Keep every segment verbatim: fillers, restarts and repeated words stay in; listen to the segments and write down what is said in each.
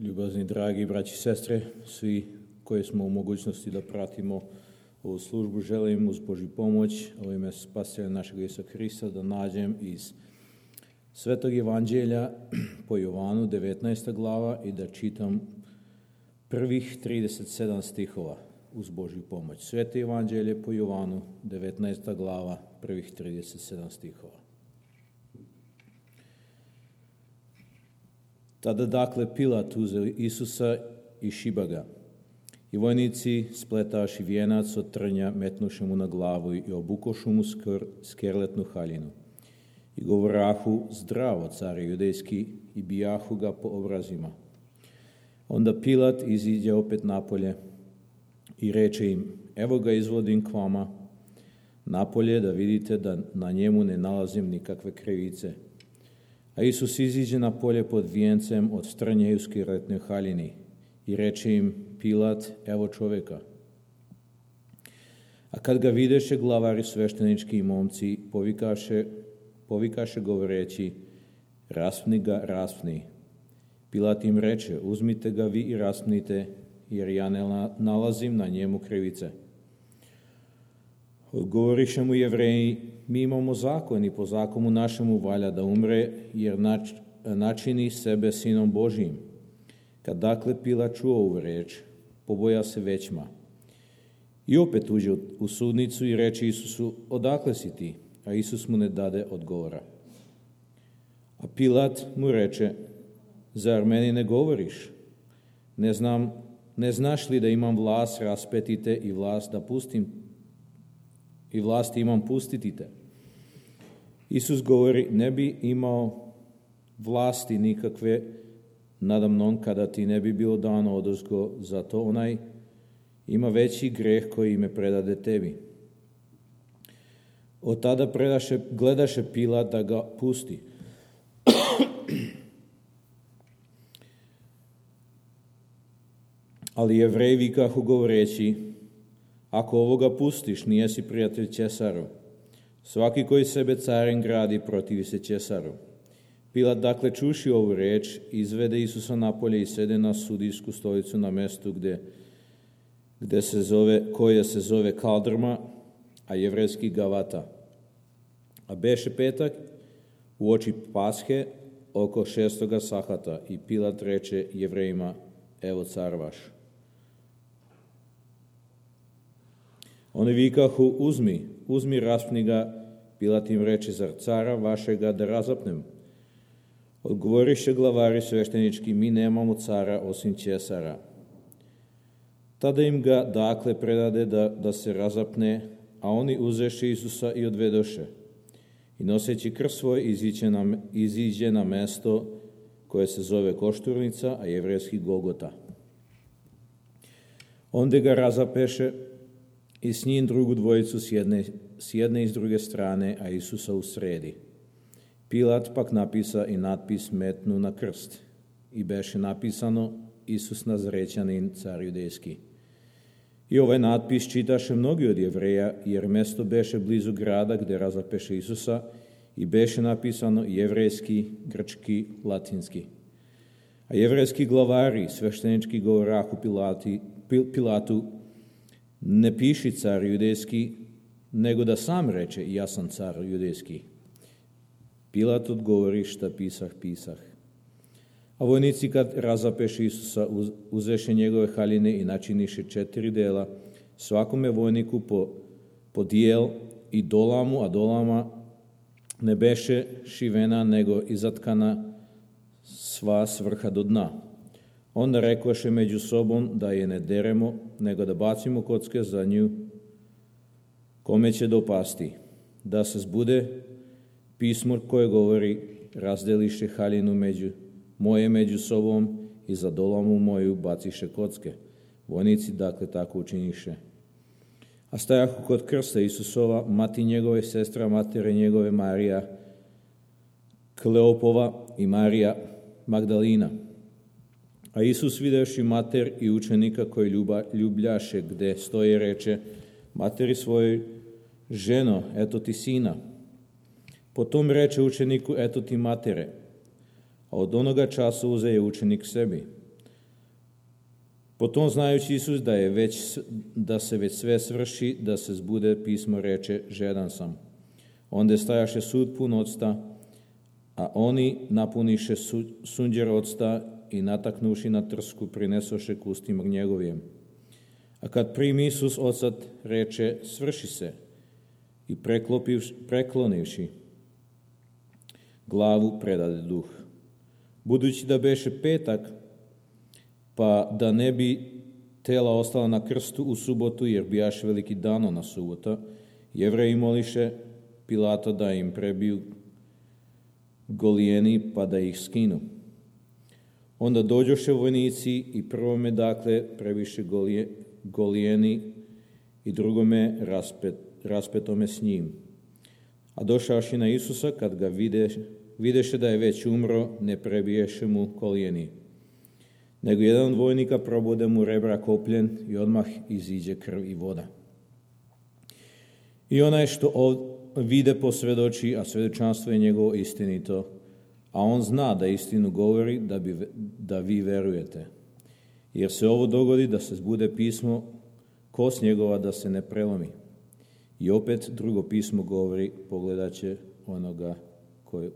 Ljubazni, dragi braći i sestre, svi koji smo u mogućnosti da pratimo ovu službu, želim uz Božju pomoć, u ime Spasitelja našeg Isusa Hrista, da nađem iz Svetog Evanđelja po Jovanu, devetnaesta glava, i da čitam prvih trideset sedam stihova uz Božju pomoć. Sveto Evanđelje po Jovanu, devetnaesta glava, prvih trideset sedam stihova. Tada dakle Pilat uzeo Isusa i šiba ga. I vojnici spletaši vijenac od trnja metnuše mu na glavu i obukošu mu skr, skerletnu haljinu. I govorahu: zdravo, care judejski, i bijahu ga po obrazima. Onda Pilat iziđe opet napolje i reče im: evo ga izvodim k vama napolje, da vidite da na njemu ne nalazim nikakve krivice. A Isus iziđe na polje pod vijencem od strnje i u skerletnoj haljini i reče im Pilat: evo čovjeka. A kad ga videše glavari sveštenički i momci, povikaše, povikaše govoreći: raspni ga, raspni. Pilat im reče: uzmite ga vi i raspnite, jer ja ne nalazim na njemu krivice. Odgovoriše mu Jevreji: mi imamo zakon i po zakonu našemu valja da umre, jer nač, načini sebe sinom Božijim. Kad dakle Pilat čuo ovu reč, poboja se većma. I opet uđe u sudnicu i reče Isusu: odakle si ti? A Isus mu ne dade odgovora. A Pilat mu reče: zar meni ne govoriš? Ne znam, ne znaš li da imam vlast raspeti te i vlast da pustim i vlasti imam pustiti te? Isus govori: ne bi imao vlasti nikakve nadamnom kada ti ne bi bilo dano odozgo, zato onaj ima veći greh koji me predade tebi. Od tada predaše, gledaše Pilat da ga pusti. Ali Jevreji vikahu govoreći: ako ovoga pustiš, nijesi prijatelj Ćesaru. Svaki koji sebe carem gradi, protivi se Ćesaru. Pilat dakle čuši ovu reč, izvede Isusa napolje i sede na sudijsku stolicu na mestu gde, gde se zove, koje se zove Kaldrma, a jevrejski Gavata. A beše petak u oči Pashe oko šestoga sahata i Pilat reče Jevrejima: evo car vaš. Oni vikahu: uzmi, uzmi, raspni ga. Pilat im reče: zar cara vašega da razapnem? Odgovoriše glavari sveštenički: mi nemamo cara osim Ćesara. Tada im ga dakle predade da, da se razapne, a oni uzeše Isusa i odvedoše. I noseći krst svoj iziđe na, iziđe na mesto koje se zove Košturnica, a jevrejski Golgota. Onda ga razapeše i s njim drugu dvojicu s jedne, s jedne i s druge strane, a Isusa u sredi. Pilat pak napisa i natpis metnu na krst. I beše napisano: Isus Nazrećanin, car judejski. I ovaj natpis čitaše mnogi od Jevreja, jer mesto beše blizu grada gde razapeše Isusa, i beše napisano jevrejski, grčki, latinski. A jevrejski glavari sveštenički govorahu Pilati, Pilatu: ne piši car judejski, nego da sam reče: ja sam car judejski. Pilat odgovori: šta pisah, pisah. A vojnici kad razapeše Isusa, uzeše njegove haljine i načiniše četiri dela, svakome vojniku po, po dijel i dolamu, a dolama ne beše šivena, nego izatkana sva s vrha do dna. Onda rekoše među sobom da je ne deremo, nego da bacimo kocke za nju, kome će dopasti. Da se zbude pismo koje govori: razdeliše haljinu među, moje među sobom i za dolamu moju baciše kocke. Vojnici dakle tako učiniše. A stajahu kod krsta Isusova mati njegove sestra, matere njegove Marija Kleopova i Marija Magdalina. A Isus videvši mater i učenika koji ljuba, ljubljaše gde stoje, reče materi svojoj: ženo, eto ti sina. Potom reče učeniku: eto ti matere. A od onoga časa uze je učenik sebi. Potom znajući Isus da, je već, da se već sve svrši, da se zbude pismo reče, žedan sam. Onda stajaše sud pun octa, a oni napuniše su, sunđer octa i nataknuši na trsku, prinesoše k ustima njegovijem. A kad primi Isus ocat, reče, svrši se, i preklonivši glavu, predade duh. Budući da beše petak, pa da ne bi tela ostala na krstu u subotu, jer bijaše veliki dano na subota, Jevreji moliše Pilata da im prebiju golijeni, pa da ih skinu. Onda dođoše vojnici i prvome, dakle, prebiše golije, golijeni i drugome raspet, raspetome s njim. A došavši na Isusa, kad ga vide, videše da je već umro, ne prebiješe mu kolijeni. Nego jedan od vojnika probode mu rebra kopljen i odmah iziđe krv i voda. I onaj što vide posvjedoči, a svjedočanstvo je njegovo istinito, a on zna da istinu govori, da, bi, da vi verujete. Jer se ovo dogodi da se zbude pismo, kost njegova da se ne prelomi. I opet drugo pismo govori, pogledat će onoga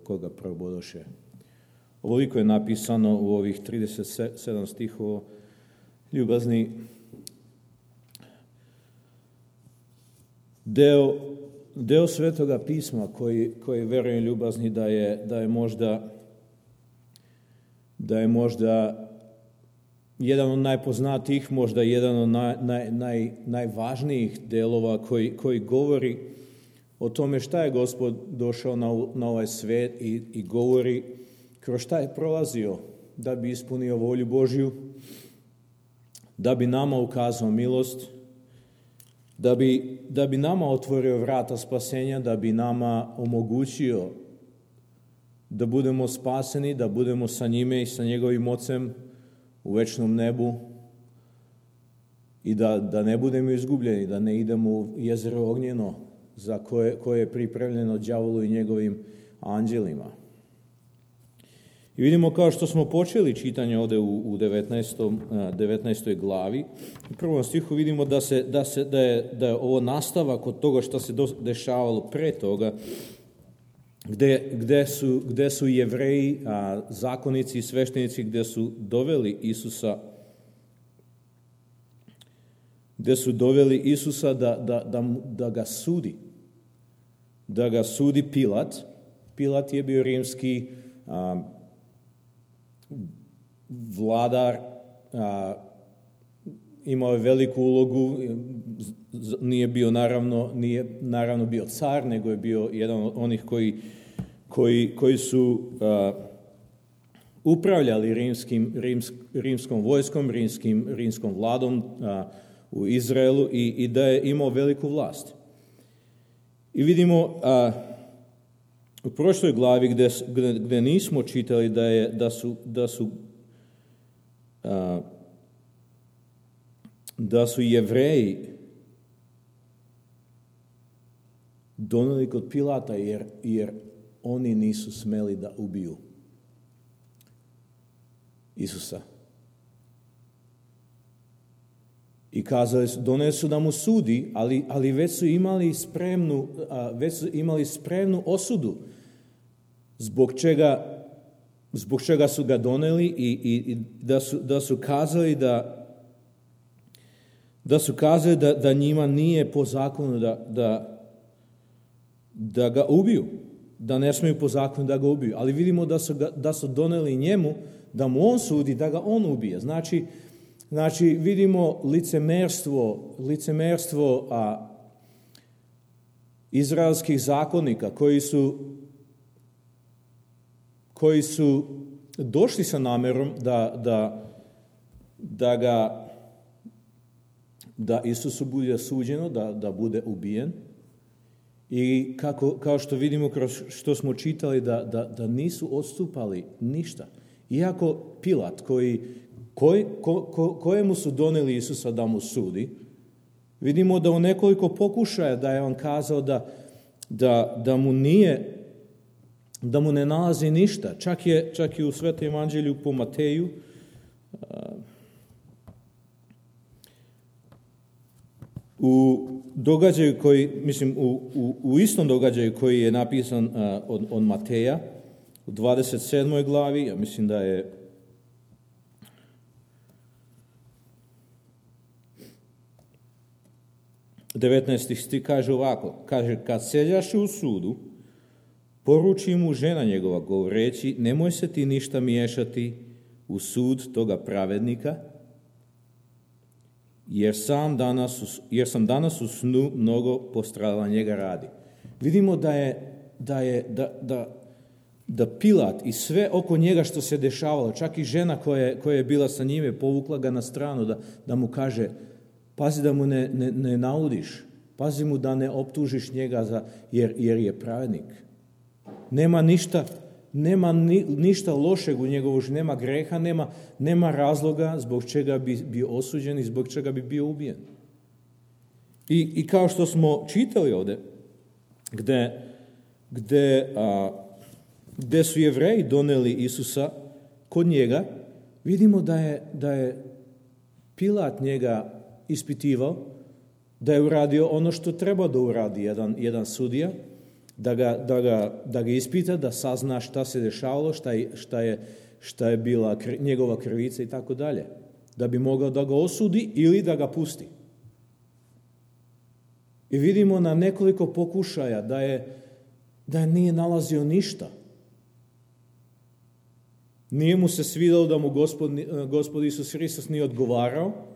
koga probodoše. Ovoliko je napisano u ovih trideset sedam stihova. Ljubazni, deo, deo Svetoga pisma koji, koji verujem, ljubazni, da je, da je možda da je možda jedan od najpoznatijih, možda jedan od naj, naj, naj, najvažnijih delova koji, koji govori o tome šta je Gospod došao na, na ovaj svet i, i govori kroz šta je prolazio da bi ispunio volju Božju, da bi nama ukazao milost, da bi, da bi nama otvorio vrata spasenja, da bi nama omogućio da budemo spaseni, da budemo sa njime i sa njegovim ocem u večnom nebu i da, da ne budemo izgubljeni, da ne idemo u jezero ognjeno za koje, koje je pripremljeno đavolu i njegovim anđelima. I vidimo, kao što smo počeli čitanje ovde u, u devetnaestoj glavi, u prvom stihu vidimo da, se, da, se, da, je, da je ovo nastavak od toga što se dešavalo pre toga, gde, gde, su, gde su Jevreji, a, zakonici i sveštenici, gde su doveli Isusa gde su doveli Isusa da, da, da, da ga sudi. Da ga sudi Pilat. Pilat je bio rimski a, vladar, a, imao je veliku ulogu, nije bio naravno, nije naravno bio car, nego je bio jedan od onih koji, koji, koji su a, upravljali rimskim, rims, rimskom vojskom, rimskim, rimskom vladom a, u Izraelu i, i da je imao veliku vlast. I vidimo a, u prošloj glavi gde, gde, gde nismo čitali da, je, da su, da su a, da su Jevreji doneli kod Pilata jer, jer oni nisu smeli da ubiju Isusa. I kazali su, doneli su da mu sudi, ali, ali već su imali spremnu, već su imali spremnu osudu zbog čega, zbog čega su ga doneli i, i, i da, su, da su kazali da da su kazali da, da njima nije po zakonu da, da, da ga ubiju, da ne smiju po zakonu da ga ubiju. Ali vidimo da su, ga, da su doneli njemu da mu on sudi, da ga on ubije. Znači, znači vidimo licemerstvo, licemerstvo a, izraelskih zakonika koji su, koji su došli sa namerom da, da, da ga da Isusu bude suđeno, da, da bude ubijen. I kako, kao što vidimo, kroz što smo čitali, da, da, da nisu odstupali ništa. Iako Pilat, koji, koji, ko, ko, kojemu su doneli Isusa da mu sudi, vidimo da u nekoliko pokušaja da je on kazao da, da, da mu nije, da mu ne nalazi ništa. Čak je, čak i u Svetom evanđelju po Mateju, U događaju koji, mislim, u, u, u istom događaju koji je napisan uh, od, od Mateja, u dvadeset sedmoj glavi, ja mislim da je devetnaesti stih kaže ovako, kaže, kad seljaše u sudu, poruči mu žena njegova govoreći, nemoj se ti ništa miješati u sud toga pravednika, jer sam danas, jer sam danas u snu mnogo postradala njega radi. Vidimo da je, da je, da, da, da Pilat i sve oko njega što se dešavalo, čak i žena koja je, koja je bila sa njime, povukla ga na stranu da, da mu kaže, pazi da mu ne, ne, ne naudiš, pazi mu da ne optužiš njega za, jer, jer je pravednik. Nema ništa, nema ni, ništa lošeg u njegovu, nema greha, nema, nema razloga zbog čega bi bio osuđen i zbog čega bi bio ubijen. I, i kao što smo čitali ovdje, gde, gde, a, gde su Jevreji doneli Isusa kod njega, vidimo da je, da je Pilat njega ispitivao, da je uradio ono što treba da uradi jedan, jedan sudija, da ga, da, ga, da ga ispita, da sazna šta se dešavalo, šta je, šta je, šta je bila kr, njegova krivica i tako dalje. Da bi mogao da ga osudi ili da ga pusti. I vidimo na nekoliko pokušaja da je, da je nije nalazio ništa. Nije mu se svidalo da mu Gospod, Gospod Isus Hristos nije odgovarao,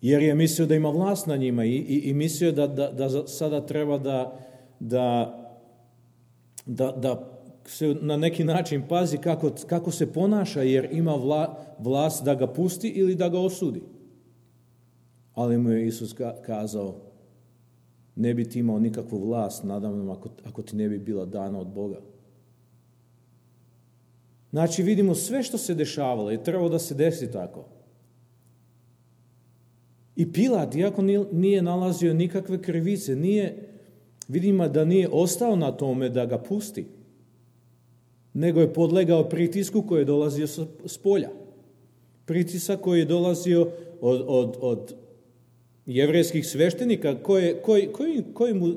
jer je mislio da ima vlast na njima i, i, i mislio da, da, da sada treba da, da, da, da se na neki način pazi kako, kako se ponaša, jer ima vla, vlast da ga pusti ili da ga osudi. Ali mu je Isus kazao, ne bi ti imao nikakvu vlast nadamnom ako, ako ti ne bi bila dana od Boga. Znači vidimo sve što se dešavalo i trebalo da se desi tako. I Pilat, iako nije nalazio nikakve krivice, nije, vidimo da nije ostao na tome da ga pusti, nego je podlegao pritisku koji je dolazio s polja. Pritisak koji je dolazio od, od, od jevrejskih sveštenika, koji, koji, koji, koji mu,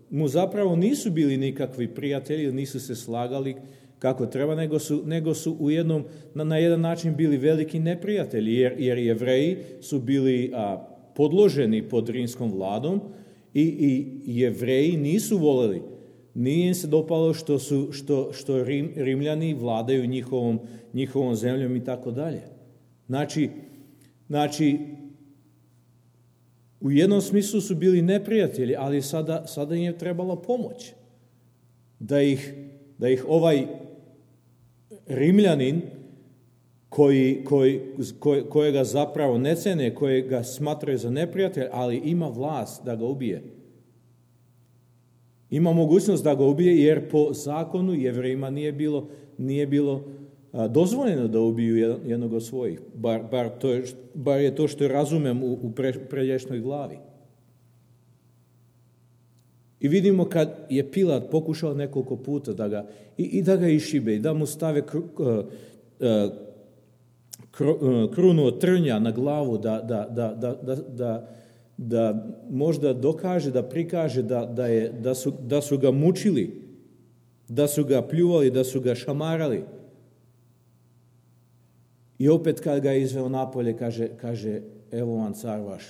mu zapravo nisu bili nikakvi prijatelji, nisu se slagali kako treba, nego su, nego su u jednom, na, na jedan način bili veliki neprijatelji, jer, jer Jevreji su bili a, podloženi pod rimskom vladom i, i Jevreji nisu voleli, nije im se dopalo što, su, što, što Rim, Rimljani vladaju njihovom, njihovom zemljom i tako dalje. Znači, znači, u jednom smislu su bili neprijatelji, ali sada, sada im je trebala pomoć. Da ih, da ih ovaj Rimljanin, koji, koji, koji, kojega zapravo ne cene, kojega smatraju za neprijatelj, ali ima vlast da ga ubije. Ima mogućnost da ga ubije, jer po zakonu Jevrejima nije bilo, nije bilo a, dozvoljeno da ubiju jednog od svojih. Bar, bar, to je, bar je to što razumem u, u pre, prelješnoj glavi. I vidimo kad je Pilat pokušao nekoliko puta da ga, i, i da ga išibe, i da mu stave kru, uh, kru, uh, krunu od trnja na glavu, da, da, da, da, da, da, da možda dokaže, da prikaže da, da, je, da, su, da su ga mučili, da su ga pljuvali, da su ga šamarali. I opet kad ga je izveo napolje, kaže, kaže evo vam car vaš.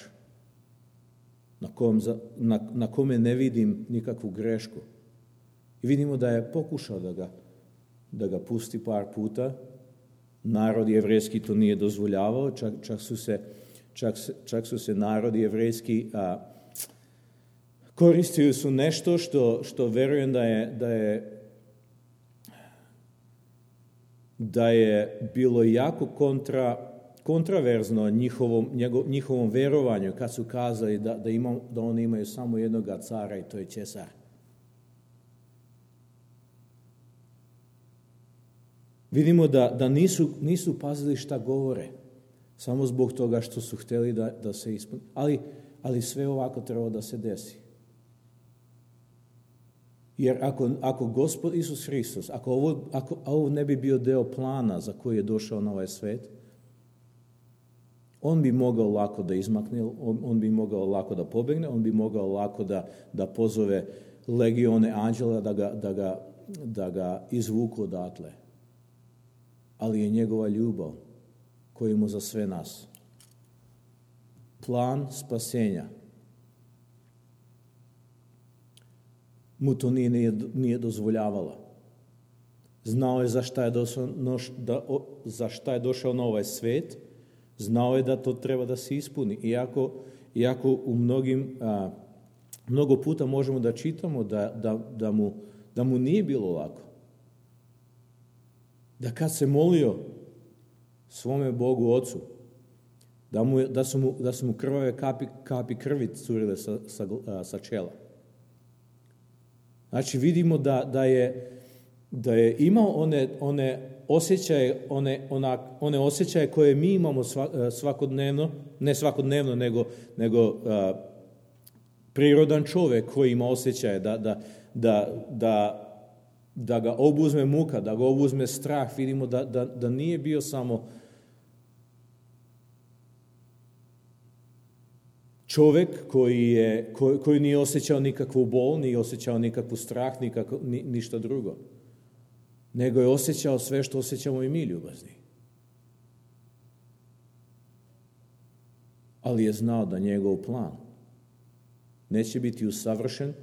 Na, kom, na, na kome ne vidim nikakvu grešku. I vidimo da je pokušao da ga, da ga pusti par puta. Narod jevrejski to nije dozvoljavao, čak, čak, su, se, čak, čak su se narodi jevrejski a, koristili su nešto što, što verujem da je, da je da je bilo jako kontra kontraverzno njihovom, njegov, njihovom verovanju kad su kazali da, da, ima, da oni imaju samo jednog cara i to je Cesar. Vidimo da, da nisu, nisu pazili šta govore, samo zbog toga što su htjeli da, da se ispuni. Ali, ali sve ovako treba da se desi. Jer ako, ako Gospod Isus Hristos, ako ovo, ako ovo ne bi bio deo plana za koji je došao na ovaj svet, On bi mogao lako da izmakne, on, on bi mogao lako da pobegne, on bi mogao lako da, da pozove legione anđela da ga, da ga, da ga izvuku odatle. Ali je njegova ljubav koja ima za sve nas. Plan spasenja mu to nije, nije, nije dozvoljavala. Znao je za šta je, došao, da, za šta je došao na ovaj svet, znao je da to treba da se ispuni. Iako, iako u mnogim, a, mnogo puta možemo da čitamo da, da, da, mu, da mu nije bilo lako. Da kad se molio svome Bogu Ocu, da, mu, da, su, mu, da su mu krvave kapi, kapi krvi curile sa, sa, sa čela. Znači vidimo da, da, je, da je imao one, one osjećaje, one, onak, one osjećaje koje mi imamo svakodnevno, ne svakodnevno, nego, nego a, prirodan čovjek koji ima osjećaje da, da, da, da, da ga obuzme muka, da ga obuzme strah. Vidimo da, da, da nije bio samo čovjek koji, je, koji, koji nije osjećao nikakvu bol, nije osjećao nikakvu strah, nikako, ni, ništa drugo. Nego je osjećao sve što osjećamo i mi, ljubazni. Ali je znao da njegov plan neće biti usavršen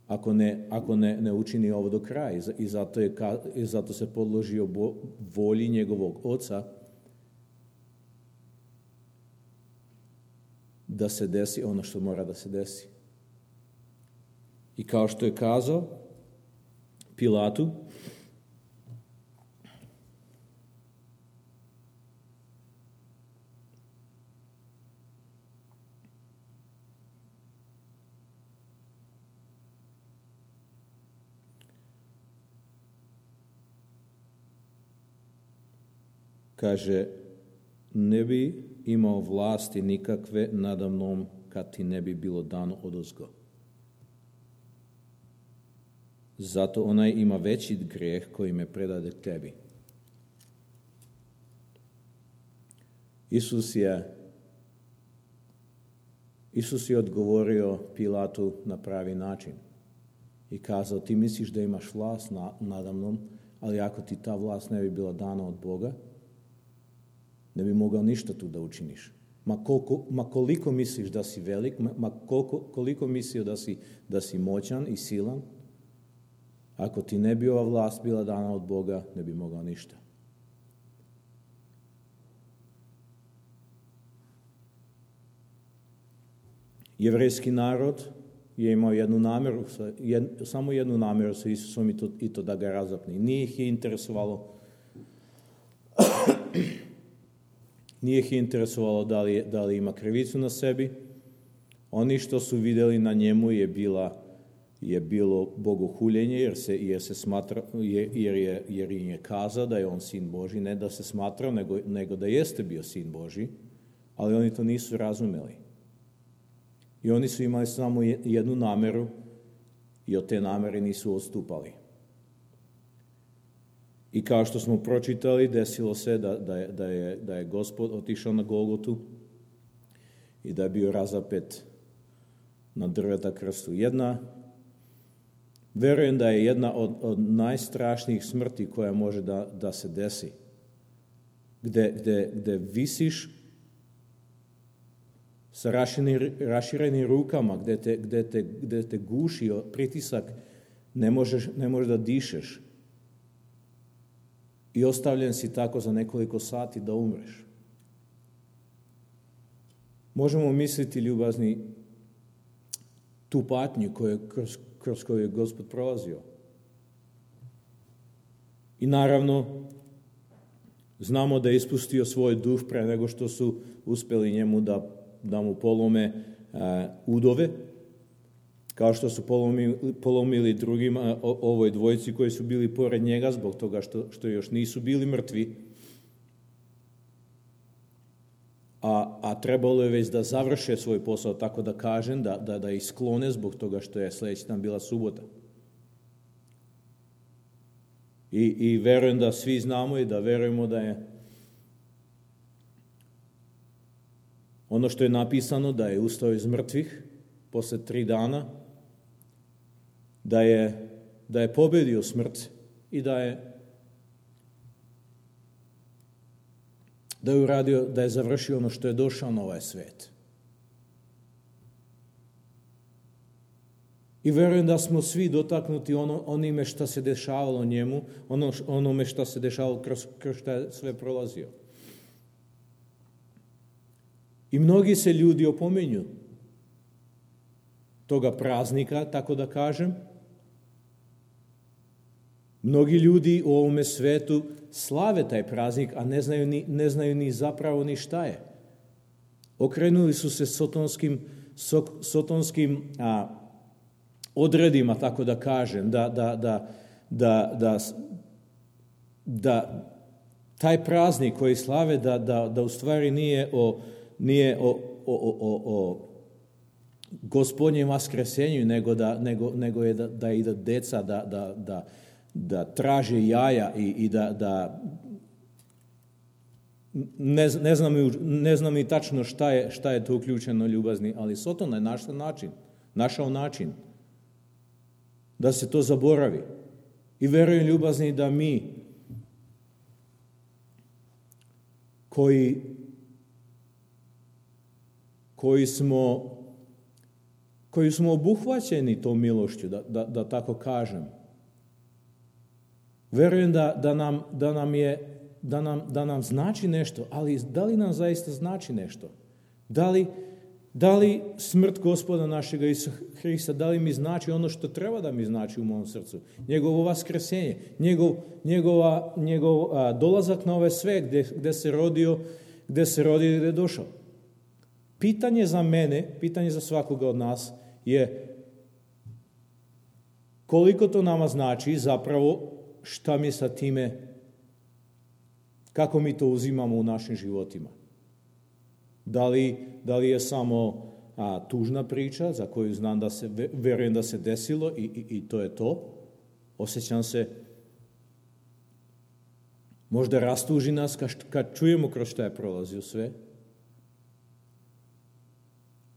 ako ne, ako ne, ne učini ovo do kraja. I zato, je, i zato se podložio volji njegovog Oca da se desi ono što mora da se desi. I kao što je kazao Pilatu, kaže, ne bi imao vlasti nikakve nada mnom kad ti ne bi bilo dano odozgo. Zato onaj ima veći grijeh koji me predade tebi. Isus je, Isus je odgovorio Pilatu na pravi način i kazao, ti misliš da imaš vlast na, nada mnom, ali ako ti ta vlast ne bi bila dana od Boga, ne bi mogao ništa tu da učiniš. Ma, koliko, ma koliko misliš da si velik, ma, ma koliko, koliko mislio da si, da si moćan i silan, ako ti ne bi ova vlast bila dana od Boga, ne bi mogao ništa. Jevrejski narod je imao jednu namjeru, jed, samo jednu namjeru sa Isusom i to, i to da ga razapne. Nije ih je interesovalo Nije ih interesovalo da li, da li ima krivicu na sebi. Oni što su vidjeli na njemu je, bila, je bilo bogohuljenje, jer se, jer se smatra, jer je, jer je kazao da je on sin Božji, ne da se smatrao, nego, nego da jeste bio sin Božji, ali oni to nisu razumeli. I oni su imali samo jednu nameru i od te namere nisu odstupali. I kao što smo pročitali, desilo se da, da, je, da, je, da je Gospod otišao na Golgotu i da je bio razapet na drveta krstu. Jedna, verujem da je jedna od, od najstrašnijih smrti koja može da, da se desi. Gde, gde, gde visiš sa raširenim, raširenim rukama, gde te, gde, te, gde te guši pritisak, ne možeš, ne možeš da dišeš. I ostavljen si tako za nekoliko sati da umreš. Možemo misliti, ljubazni, tu patnju koju, kroz, kroz koju je Gospod prolazio. I naravno, znamo da je ispustio svoj duh pre nego što su uspeli njemu da, da mu polome uh, udove, kao što su polomili, polomili drugima, o, ovoj dvojici koji su bili pored njega zbog toga što, što još nisu bili mrtvi. A, a trebalo je već da završe svoj posao, tako da kažem, da, da, da ih sklone zbog toga što je sljedeći dan bila subota. I, I verujem da svi znamo i da verujemo da je, Ono što je napisano da je ustao iz mrtvih posle tri dana, da je, da je pobedio smrt i da je da je uradio, da je završio ono što je došao na ovaj svet. I verujem da smo svi dotaknuti ono, onime što se dešavalo njemu, ono, onome što se dešavalo kroz, kroz što je sve prolazio. I mnogi se ljudi opominju toga praznika, tako da kažem. Mnogi ljudi u ovome svetu slave taj praznik, a ne znaju ni, ne znaju ni zapravo ni šta je. Okrenuli su se sotonskim, so, sotonskim a, odredima, tako da kažem, da, da, da, da, da, da taj praznik koji slave, da, da, da u stvari nije o, nije o, o, o, o Gospodnjem vaskresenju, nego, da, nego, nego je da, da ide deca, da, da, da, da traže jaja i, i da, da ne, ne, znam, ne znam ni tačno šta je, šta je to uključeno ljubazni, ali Soton je našao način, našao način da se to zaboravi. I verujem ljubazni da mi koji koji smo koji smo obuhvaćeni tom milošću, da, da, da tako kažem. Verujem da, da, nam, da, nam je, da, nam, da nam znači nešto, ali da li nam zaista znači nešto? Da li, da li smrt Gospoda našega Isusa Hrista, da li mi znači ono što treba da mi znači u mom srcu? Njegovo vaskresenje, njegov, njegova, njegov a, dolazak na ovaj svet gde, gde se rodio, gde se rodio i gde je došao. Pitanje za mene, pitanje za svakoga od nas je koliko to nama znači zapravo, šta mi sa time, kako mi to uzimamo u našim životima. Da li, da li je samo a, tužna priča za koju znam da se, verujem da se desilo i, i, i to je to. Osjećam se, možda rastuži nas kad, kad čujemo kroz šta je prolazio sve,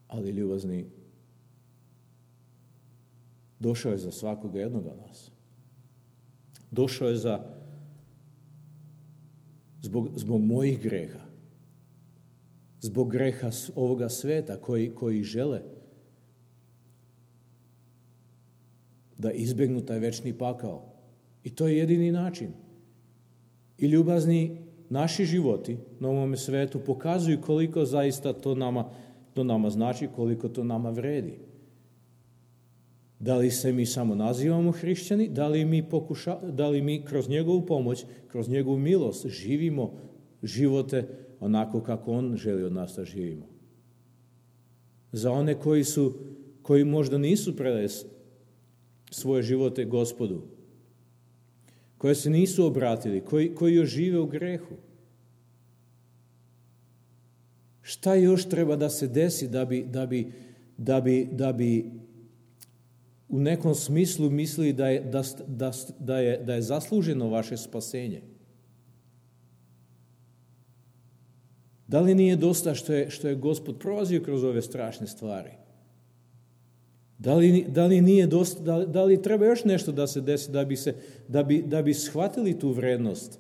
ali ljubazni, došao je za svakoga jednoga nas. Došao je za zbog, zbog mojih greha, zbog greha ovoga sveta koji, koji žele da izbegnu taj večni pakao. I to je jedini način. I ljubazni naši životi na ovome svetu pokazuju koliko zaista to nama, to nama znači, koliko to nama vredi. Da li se mi samo nazivamo hrišćani, da li mi, pokuša, da li mi kroz njegovu pomoć, kroz njegovu milost živimo živote onako kako on želi od nas da živimo. Za one koji su, koji možda nisu predali svoje živote Gospodu, koji se nisu obratili, koji, koji još žive u grehu. Šta još treba da se desi da bi, da bi, da bi, da bi u nekom smislu mislili da je, da, da, da je, da je zasluženo vaše spasenje? Da li nije dosta što je, što je Gospod prolazio kroz ove strašne stvari? Da li, da li nije dosta, da li, da li treba još nešto da se desi da bi, se, da bi, da bi shvatili tu vrednost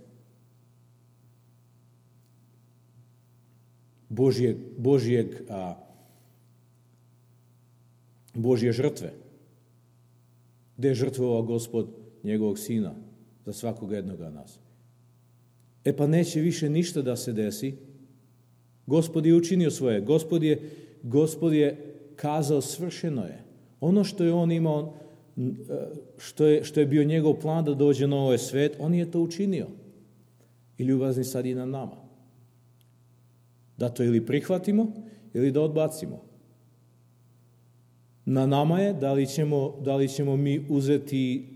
Božjeg, Božjeg, a, Božje žrtve? Gde je žrtvovao Gospod njegovog sina za svakoga jednoga nas? E pa neće više ništa da se desi. Gospod je učinio svoje. Gospod je, Gospod je kazao svršeno je. Ono što je on imao, što je, što je bio njegov plan da dođe na ovaj svet, on je to učinio. I ljubazni sad i na nama. Da to ili prihvatimo, ili da odbacimo. Na nama je da li ćemo, da li ćemo mi uzeti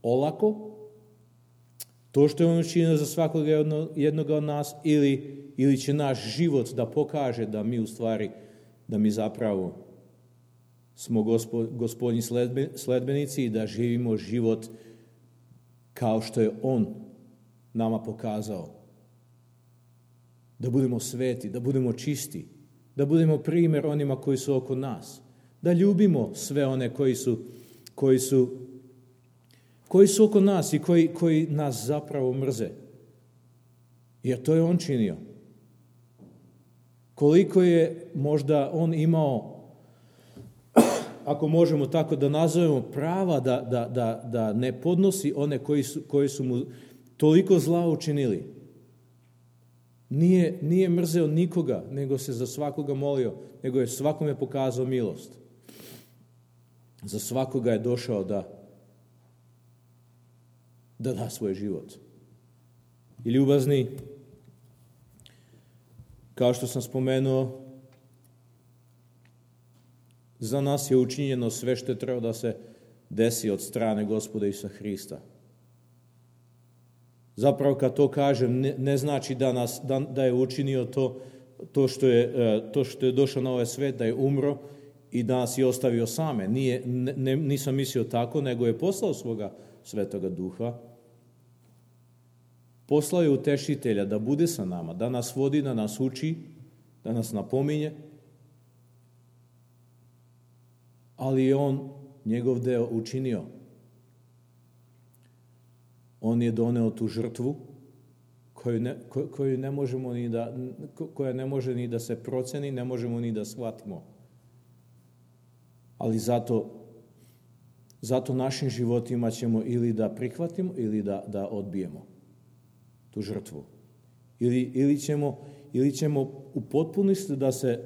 olako to što je on učinio za svakog jednog od nas, ili, ili će naš život da pokaže da mi u stvari, da mi zapravo smo gospod, gospodnji sledbenici i da živimo život kao što je on nama pokazao da budemo sveti, da budemo čisti, da budemo primjer onima koji su oko nas, da ljubimo sve one koji su, koji su, koji su oko nas i koji, koji nas zapravo mrze. Jer to je on činio. Koliko je možda on imao, ako možemo tako da nazovemo, prava da, da, da, da ne podnosi one koji su, koji su mu toliko zla učinili. Nije, nije mrzeo nikoga, nego se za svakoga molio, nego je svakome pokazao milost. Za svakoga je došao da, da da svoj život. I ljubazni, kao što sam spomenuo, za nas je učinjeno sve što je trebalo da se desi od strane Gospoda Isusa Hrista. Zapravo kad to kažem, ne, ne znači da, nas, da, da je učinio to, to, što je, to što je došao na ovaj svet, da je umro i da nas je ostavio same. Nije, ne, nisam mislio tako, nego je poslao svoga Svetoga Duha. Poslao je utešitelja da bude sa nama, da nas vodi, da nas uči, da nas napominje. Ali je on njegov deo učinio. On je doneo tu žrtvu koju ne, koju ne možemo ni da, koja ne može ni da se proceni, ne možemo ni da shvatimo. Ali zato, zato našim životima ćemo ili da prihvatimo ili da, da odbijemo tu žrtvu. Ili, ili, ćemo, ili ćemo u potpunosti da se,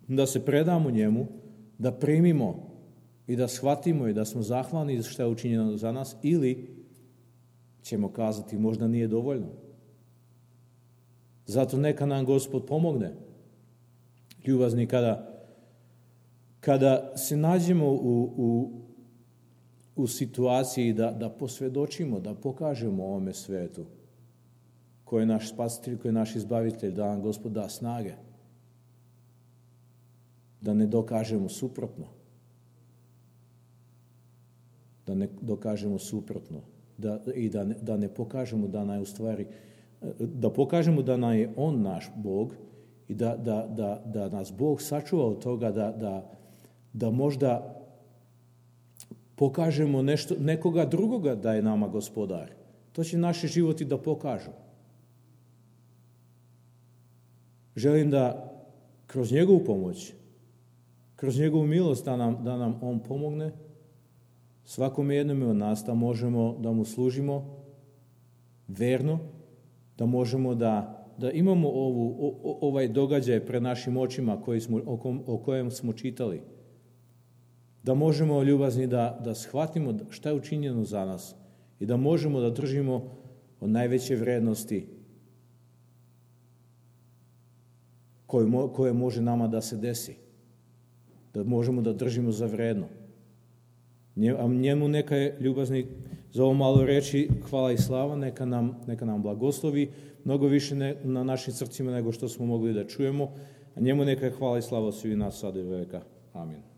da se predamo njemu, da primimo i da shvatimo i da smo zahvalni što je učinjeno za nas, ili ćemo kazati možda nije dovoljno. Zato neka nam Gospod pomogne. Ljubazni, kada, kada se nađemo u, u, u situaciji da, da posvjedočimo, da pokažemo ovome svetu koji je naš spasitelj, koji je naš izbavitelj, da nam Gospod da snage, da ne dokažemo suprotno. Da ne dokažemo suprotno. Da, i da ne, da ne pokažemo da nam je u stvari, da pokažemo da nam je on naš Bog i da, da, da, da nas Bog sačuva od toga da, da, da možda pokažemo nešto, nekoga drugoga da je nama gospodar. To će naši životi da pokažu. Želim da kroz njegovu pomoć, kroz njegovu milost da nam, da nam on pomogne, svakome jednome od nas da možemo da mu služimo verno, da možemo da, da imamo ovu, o, ovaj događaj pred našim očima koji smo, o, kom, o kojem smo čitali. Da možemo, ljubazni, da, da shvatimo šta je učinjeno za nas i da možemo da držimo od najveće vrednosti koje, koje može nama da se desi. Da možemo da držimo za vredno. A njemu neka je, ljubazni, za ovo malo reći hvala i slava, neka nam, neka nam blagoslovi mnogo više ne, na našim srcima nego što smo mogli da čujemo, a njemu neka je hvala i slava svih nas sada i veka. Amin.